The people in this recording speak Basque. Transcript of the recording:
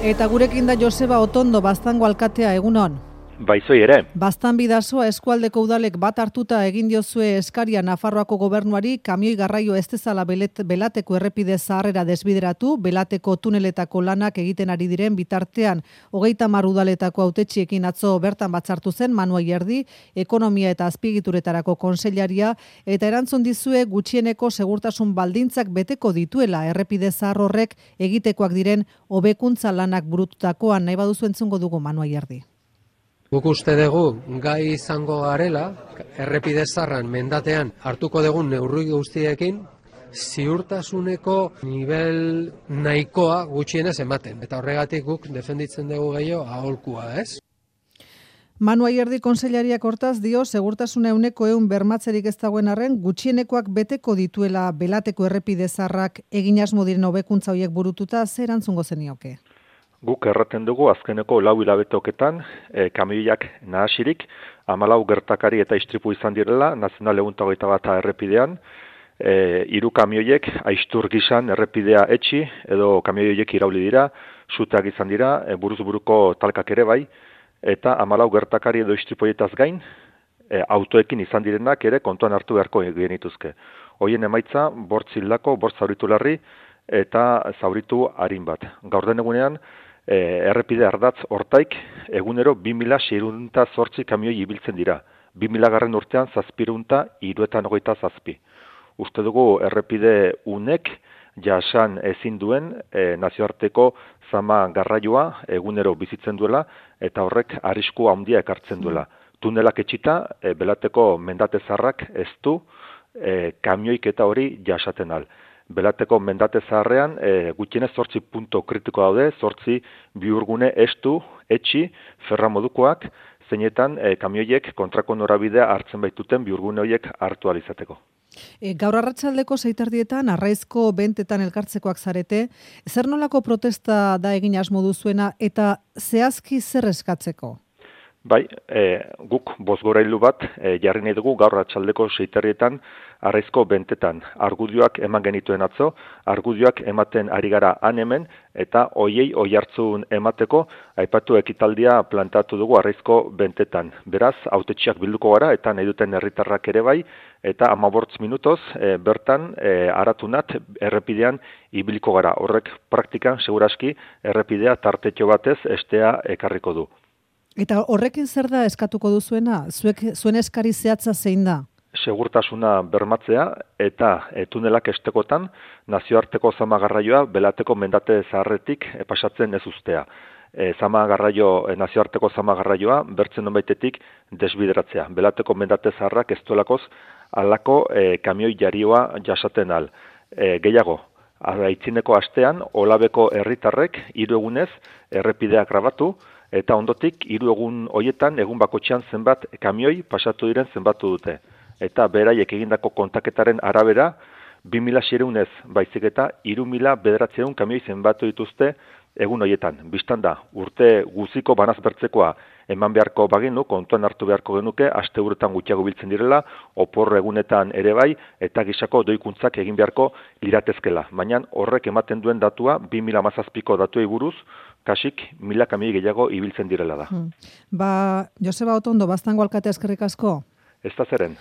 Eta gurekin da Joseba Otondo, Baztango alkatea, egunon. Baizoi ere. Baztan bidasoa eskualdeko udalek bat hartuta egin diozue eskaria Nafarroako gobernuari kamioi garraio ez dezala Belateko errepide zaharrera desbideratu, Belateko tuneletako lanak egiten ari diren bitartean 30 udaletako hautetxiekin atzo bertan batzartu zen Manu Ayerdi, ekonomia eta azpiegituretarako kontseilaria, eta erantzun dizue gutxieneko segurtasun baldintzak beteko dituela errepide zahar horrek egitekoak diren hobekuntza lanak burututakoan. Nahi baduzu entzungo dugu Manu Ayerdi. Guk uste dugu gai izango garela, errepide zaharran mendatean hartuko dugun neurri guztiekin, ziurtasuneko nivel nahikoa gutxienez ematen. Eta horregatik guk defenditzen dugu gehiago aholkua, ez? Manu Ayerdi kontseilariak hortaz dio segurtasuna 100% bermatzerik ez dagoen arren gutxienekoak beteko dituela Belateko errepide zaharrak egin asmo diren hobekuntza horiek burututa. Zer erantzungo zenioke? Guk erraten dugu azkeneko 4 hilabetoketan kamioiak nahasirik 14 gertakari eta istripu izan direla Nazional 121 errepidean. 3 kamioiek aistur gisan errepidea etxi edo kamioiek irauli dira, suteak izan dira, buruz buruko talkak ere bai, eta 14 gertakari edo istripuetaz gain autoekin izan direnak ere kontuan hartu beharko genituzke. Hoien emaitza 5 hildako, 5 zauritu larri eta zauritu arin bat. Gaur den egunean errepide ardatz hortaik egunero 2608 kamioi ibiltzen dira. 2000 urtean 797. Uste dugu errepide unek jasan ezin duen nazioarteko zama garraioa egunero bizitzen duela eta horrek arrisku handia ekartzen duela. Tunelak etxita, Belateko mendate zaharrak ez du kamioiketa hori jasaten al. Belateko mendate zaharrean gutxienez 8 punto kritiko daude, 8 bihurgune estu, etxi, ferra modukoak, zeinetan kamioiek kontrako norabidea hartzen baituten bihurgune horiek hartu ahal izateko. Gaur arratsaldeko 6:00 Arraizko bentetan elkartzekoak zarete, zer nolako protesta da egin asmo duzuena eta zehazki zer eskatzeko? Bai, guk bozgorailu bat jarri nahi dugu gaur arratsaldeko 6:00 Arraizko bentetan. Argudioak eman genituen atzo, argudioak ematen ari gara han hemen, eta hoiei oihartzun emateko aipatu ekitaldia plantatu dugu Arraizko bentetan. Beraz, hautetxiak bilduko gara eta nahi duten herritarrak ere bai, eta 15 minutoz bertan aratunat errepidean ibiliko gara. Horrek praktikan seguraski errepidea tartetxo batez estea ekarriko du. Eta horrekin zer da eskatuko duzuena? Zuen eskari zehatza zein da? Segurtasuna bermatzea eta tunelak estekotan nazioarteko zama garraioa Belateko mendate zaharretik pasatzen ez uztea. Nazioarteko zama garraioa bertzen nonbaitetik desbideratzea. Belateko mendate zaharrak ez duelakoz halako kamioi jarioa jasaten al. Gehiago, aitzineko astean Olabeko herritarrek 3 egunez errepideak grabatu, eta ondotik 3 egun hoietan egun bakotxean zenbat kamioi pasatu diren zenbatu dute. Eta beraiek egindako kontaketaren arabera 2600 baizik eta 3900 kamioi zenbatu dituzte egun hoietan. Bistan da, urte guziko banaz bertzekoa eman beharko bagenu, kontuan hartu beharko genuke, asteburuetan gutxiago biltzen direla, opor egunetan ere bai, eta gisako doikuntzak egin beharko liratezkela. Baina horrek ematen duen datua 2017ko datuei buruz, kasik 1000 kamioi gehiago ibiltzen direla da. Joseba Otondo, Baztango alkatea, eskerrik asko. Ez da zeren.